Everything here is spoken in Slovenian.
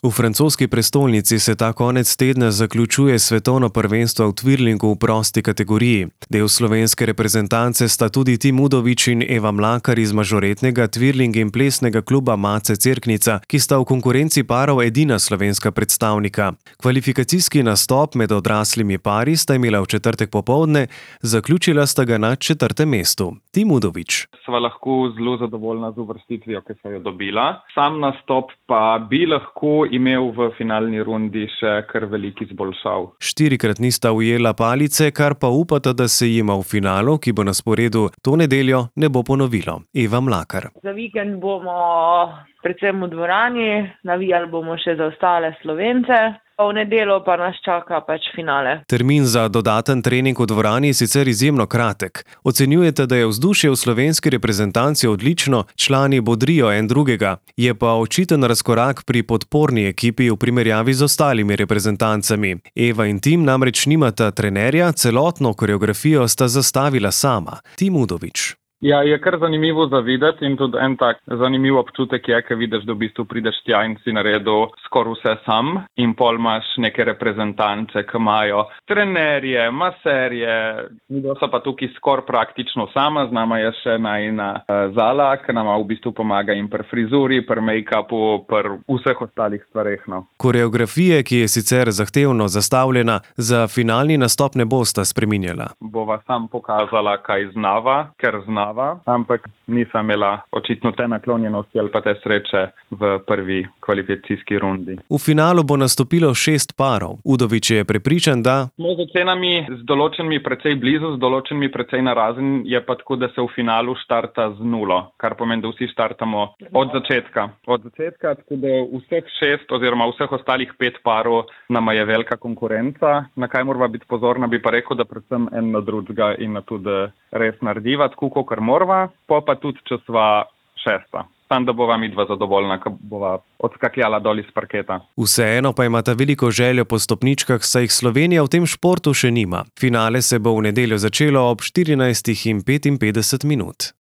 V francoski prestolnici se ta konec tedna zaključuje svetovno prvenstvo v twirlingu v prosti kategoriji. Del slovenske reprezentance sta tudi Tim Udovič in Eva Mlakar iz mažoretnega twirling in plesnega kluba Mace Cerknica, ki sta v konkurenci parov edina slovenska predstavnika. Kvalifikacijski nastop med odraslimi pari sta imela v četrtek popoldne, zaključila sta ga na 4. mestu. Tim Udovič. Sva lahko zelo zadovoljna z uvrstitvijo, ki so jo dobila. Sam nastop pa bi lahko imel v finalni rundi še kar velik izboljšav. 4-krat nista ujela palice, kar pa upata, da se jima v finalu, ki bo na sporedu to nedeljo, ne bo ponovilo. Eva Mlakar. Za vikend bomo predvsem v dvorani, navijali bomo še za ostale Slovence. V nedeljo pa nas čaka finale. Termin za dodaten trening v dvorani je sicer izjemno kratek. Ocenjujete, da je vzdušje v slovenski reprezentanci odlično, člani bodrijo en drugega. Je pa očiten razkorak pri podporni ekipi v primerjavi z ostalimi reprezentancami. Eva in Tim namreč nimata trenerja, celotno koreografijo sta zastavila sama. Tim Udovič. Ja, je kar zanimivo za videti in tudi en tak zanimiv občutek je, ker vidiš, da v bistvu prideš tja in si naredil skoraj vse sam in pol imaš neke reprezentance, ki imajo trenerje, maserje, so pa tukaj skoraj praktično sama, z nama je še najina Zala, ki nama v bistvu pomaga in pri frizuri, pri make-upu, pri vseh ostalih stvareh. No. Koreografije, ki je sicer zahtevno zastavljena, za finalni nastop ne bosta spreminjala. Bova sam pokazala, kaj znava, ker znava. Ampak nisem imela očitno te naklonjenosti ali pa te sreče v prvi kvalifikacijski rundi. V finalu bo nastopilo 6 parov. Udovič je prepričan, da smo z ocenami z določenimi precej blizu, z določenimi precej narazen, je pa tako, da se v finalu štarta z 0, kar pomeni, da vsi štartamo od začetka. Od začetka, tako da vseh 6 oziroma vseh ostalih 5 parov nama je velika konkurenca. Na kaj morava biti pozorna, bi pa rekel, da predvsem en na drugega in na tudi res narediva, tako kot morva, pa tudi, če sva 6. Tam, da bova midva zadovoljna, ko bova odskakljala dol iz parketa. Vseeno pa imata veliko željo po stopničkah, saj jih Slovenija v tem športu še nima. Finale se bo v nedeljo začelo ob 14:55.